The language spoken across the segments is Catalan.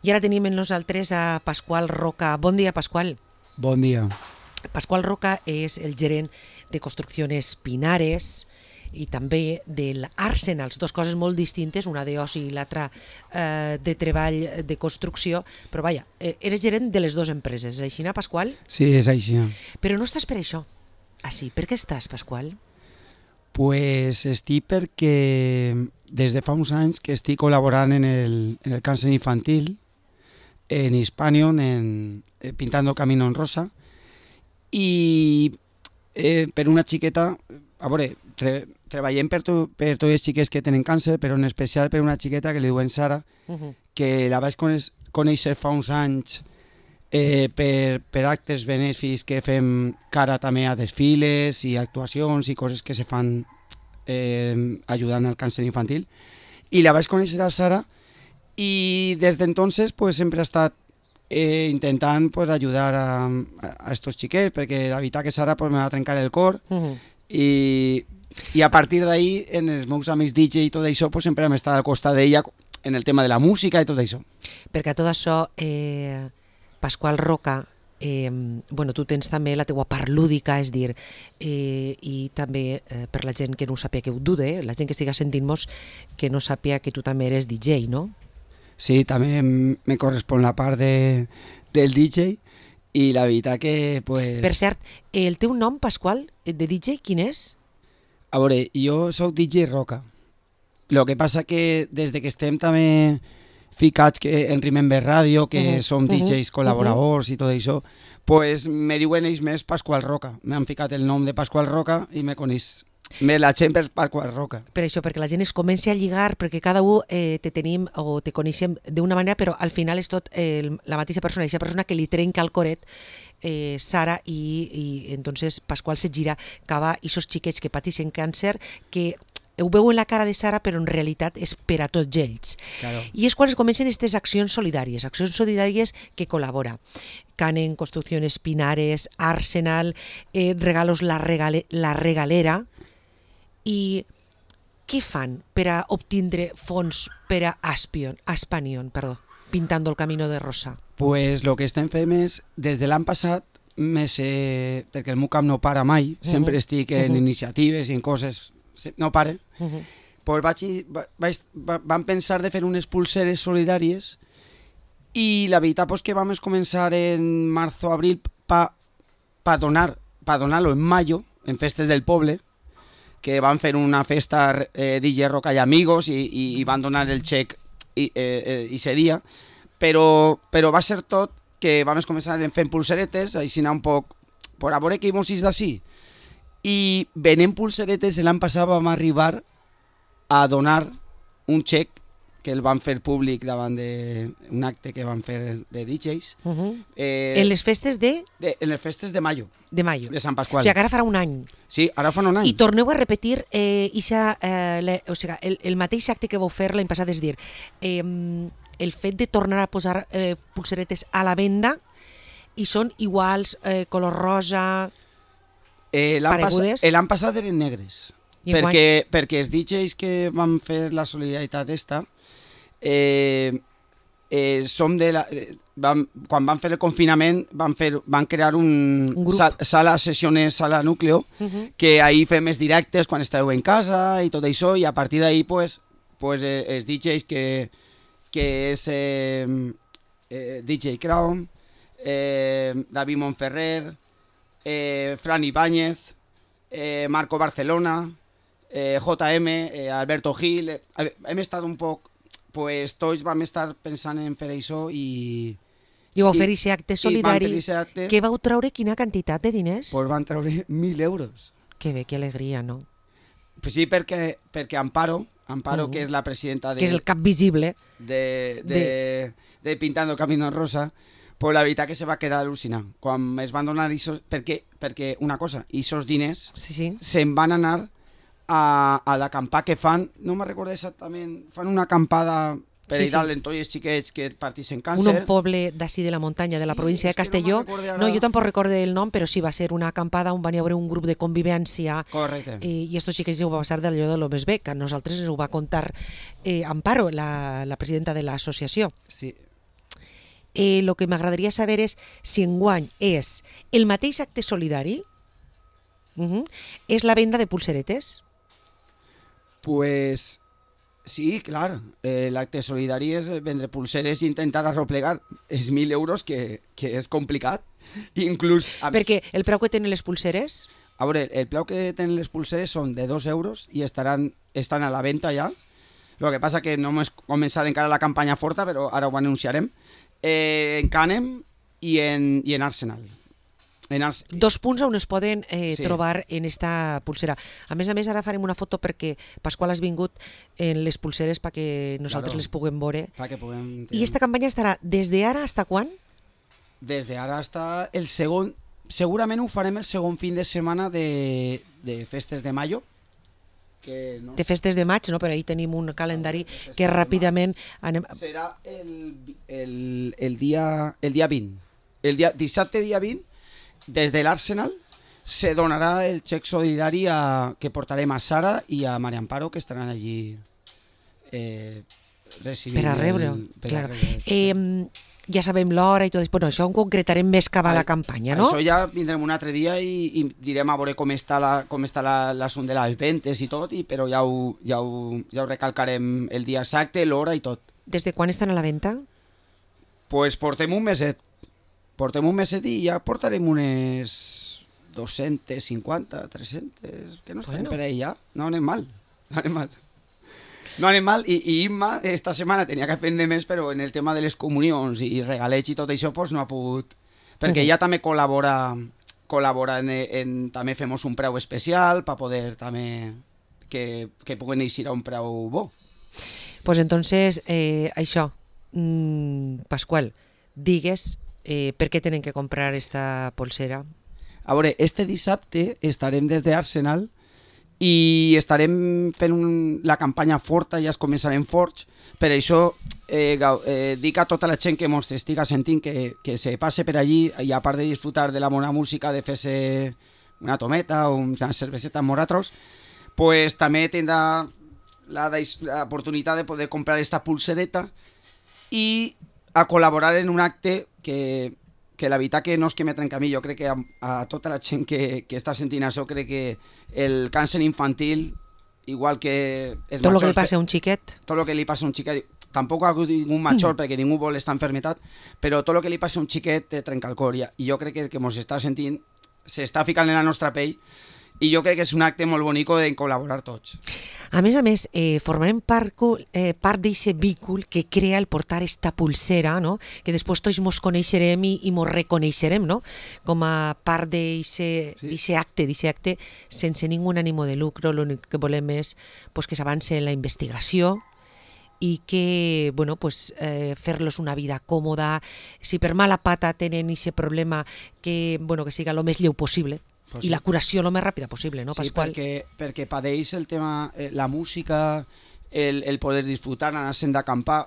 I ara tenim amb nosaltres a Pasqual Roca. Bon dia, Pasqual. Bon dia. Pasqual Roca és el gerent de Construcciones Pinares i també de l'Arsenals, dues coses molt distintes, una d'oci i l'altra de treball de construcció, però vaja, eres gerent de les dues empreses, és així, Pasqual? Sí, és així. Però no estàs per això. Ah, sí, per què estàs, Pasqual? Pues estic perquè des de fa uns anys que estic col·laborant en el càncer infantil, en Hispanion, Pintando Camino en Rosa, i per una xiqueta, a veure, treballem per tots els xiquets que tenen càncer, però en especial per una xiqueta que li diuen Sara, que la vaig conèixer fa uns anys per actes benèfics que fem cara també a desfiles i actuacions i coses que se fan ajudant al càncer infantil. I la vaig conèixer a Sara y desde entonces pues sempre he estat intentant pues ayudar a estos xiquets, perquè la veritat que Sara pues me va trencar el cor i a partir d'ahí en els meus amics DJ i tot això pues sempre hem estat al costat d'ella en el tema de la música i tot això. Perquè a tot això, Pasqual Roca, bueno, tu tens també la teua part lúdica, és dir, i també per la gent que no ho sàpia, que ho dude, la gent que estiga sentint-nos, que no sàpia que tu també eres DJ, no? Sí, també me correspon la part del DJ i la veritat que pues... Per cert, el teu nom, Pasqual, de DJ, quin és? A veure, jo soc DJ Roca. Lo que passa que des que estem també ficats en Remember Radio, que som DJs col·laboradors i tot això, pues me diuen ells més Pasqual Roca. M'han ficat el nom de Pasqual Roca i me coneix més la gent per Pasqual Roca. Per això, perquè la gent es comença a lligar, perquè cada un te tenim o te coneixem d'una manera, però al final és tot la mateixa persona, aquesta persona que li trenca el coret, Sara, i entonces Pasqual se gira cap a aquests xiquets que pateixen càncer, que ho veu en la cara de Sara, però en realitat és per a tots ells. Claro. I és quan es comencen aquestes accions solidàries que col·labora. Canen, Construcciones Pinares, Arsenal, Regalos La Regalera. I què fan per a obtindre fons per a Hispanion, Pintando el Camino de Rosa? Pues lo que estem fent és, des de l'any passat, perquè el meu camp no para mai, sempre estic en iniciatives i en coses, no pare, pues vam pensar de fer unes pulseres solidàries i la veritat pues, que vam començar en marzo-abril pa donar-lo en mayo, en festes del poble, que van fer una festa DJ Roca i amigos i van donar el xec i ese dia, però va ser tot que vam començar fent pulseretes, així anar un poc per a veure què mos és d'ací. I venent pulseretes l'any passat vam arribar a donar un xec que el van fer públic davant d'un acte que van fer de DJs. En les festes en les festes de mayo. De mayo. De Sant Pasqual. O sigui, que ara farà un any. Sí, ara fa un any. I torneu a repetir el mateix acte que vau fer l'any passat, és dir, el fet de tornar a posar pulseretes a la venda i són iguals, color rosa, paregudes? L'any passat eren negres. Perquè els DJs que van fer la solidaritat esta som quan van fer el confinament van crear un sala sessiones, sala núcleo, que ahí fem els directes quan esteu en casa i tot això, i a partir d'ahí pues els DJs que és DJ Crown, David Monferrer, Fran Ibáñez, Marco Barcelona, JM, Alberto Gil, hem estat un poc, pues tots vam estar pensant en fer això i vau fer aquest acte solidari. Que vau treure quina quantitat de diners? Pues van treure 1.000 euros. Que bé, que alegria, no? Pues sí, perquè Amparo, que és la presidenta que és el cap visible de Pintando Camino Rosa, pues la veritat que se va quedar al·lucinant. Quan es van donar perquè una cosa, aquests diners se'n van anar a l'acampar que fan, no me'n recordo exactament, fan una acampada per allà en tots els xiquets que partixen càncer. Un poble d'ací de la muntanya, de la província de Castelló. No, jo tampoc recordo el nom, però sí, va ser una acampada on van haver un grup de convivència. Correcte. I esto sí que ho va passar d'allò de lo més bé, que a nosaltres ens ho va contar Amparo, la presidenta de l'associació. Sí. el que m'agradaria saber és si enguany és el mateix acte solidari, és la venda de pulseretes. Pues sí, clar, l'acte solidari és vendre pulseres i intentar arroplegar. És 1.000 euros que és complicat. Inclús... Perquè el preu que tenen les pulseres... A veure, el preu que tenen les pulseres són de 2 euros i estan a la venda ja. El que passa que no hem començat encara la campanya forta, però ara ho anunciarem. En Canem i en Arsenal. 2 punts on es poden trobar en esta pulsera. A més, ara farem una foto perquè Pasqual has vingut en les pulseres perquè nosaltres les puguem veure. I esta campanya estarà des d'ara fins quan? Des d'ara fins el segon... Segurament ho farem el segon fin de setmana de festes de mayo. De festes de maig, no? Però ahir tenim un calendari que ràpidament... Serà el dia 20. Dissabte dia 20, des de l'Arsenal, se donarà el xec solidari que portarem a Sara i a Maria Amparo, que estaran allí recibint... Per a rebre, clar. Ja sabem l'hora i tot. Bueno, això ho concretarem més cap a la campanya, no? Això ja vindrem un altre dia i direm a veure com està l'assumpte de les ventes i tot, però ja ho recalcarem el dia exacte, l'hora i tot. Des de quan estan a la venda? Pues portem un meset. I ja portarem unes 250, 300, que no estarem per ahí ja. No anem mal. No anem mal, i Imma esta setmana tenia que aprendre més, però en el tema de les comunions i regalets i tot això pues no ha pogut, perquè ella també col·labora també fem un preu especial per poder també que puguen eixir a un preu bo. Pues entonces això, Pasqual, digues per què tenen que comprar esta polsera. A veure, este dissabte estarem des d'Arsenal i estarem fent la campanya forta, ja es començarem forts, per això dic a tota la gent que ens estiga sentint que se passe per allí i a part de disfrutar de la bona música, de fer-se una tometa o una cerveseta amb nosaltres, pues també tindrà l'oportunitat de poder comprar esta pulsereta i a col·laborar en un acte que la veritat que no és que me trenca a mi, jo crec que a tota la gent que està sentint això, crec que el càncer infantil, igual que... Tot el que li passa a un xiquet. Tot el que li passa a un xiquet, tampoc ha hagut ningú major perquè ningú vol esta enfermetat, però tot el que li passa a un xiquet te trenca el cor, i jo crec que el que ens està sentint s'està ficant en la nostra pell i jo crec que és un acte molt bonic de col·laborar tots. A més, formarem part d'aquest vínculo que crea el portar esta pulsera, no? Que després tots ens coneixerem i ens reconeixerem, no? Com a part d'aquest acte sense ningú ànim de lucre. L'únic que volem és que s'avance en la investigació i que fer-los una vida còmoda. Si per mala pata tenen aquest problema, que siga el més lleu possible. I la curació el més ràpida possible, no, Pasqual? Sí, perquè padeix el tema, la música, el poder disfrutar, anar-se'n d'acampar,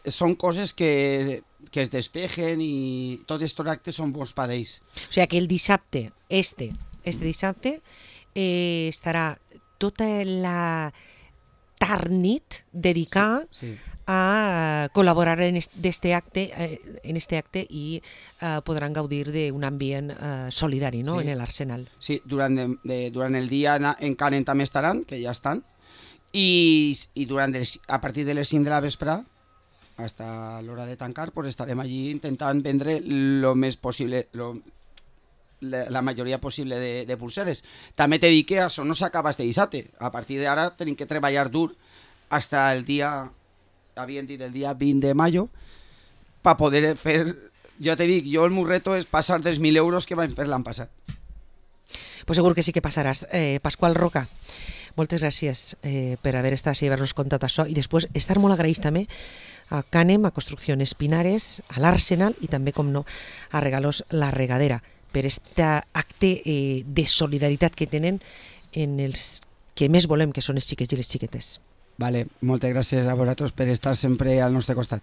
són coses que es despejen i tots aquests actes són bons padeix. O sigui que el dissabte, este dissabte, estarà tota la tarnit dedicada a col·laborar en este acte i podran gaudir d'un ambient solidari, no? En l'Arsenal. Sí, durant el dia en Canem també estaran, que ja estan, i a partir de les 5 de la vesprà fins a l'hora de tancar estarem allí intentant vendre el més possible, la majoria possible de pulseres. També t'he dit que això no s'acaba este dissabte. A partir d'ara tenim que treballar dur fins el dia... Havien dit el dia 20 de mayo per poder fer... Jo te dic, el meu reto és passar dels 1.000 euros que vam fer l'any passat. Pues segur que sí que passaràs. Pasqual Roca, moltes gràcies per haver estat i haver-nos contat això, i després estar molt agraïts també a Canem, a Construcciones Pinares, a l'Arsenal i també, com no, a Regalos La Regadera, per aquest acte de solidaritat que tenen en els que més volem, que són els xiquets i les xiquetes. Vale, moltes gràcies a vosaltres per estar sempre al nostre costat.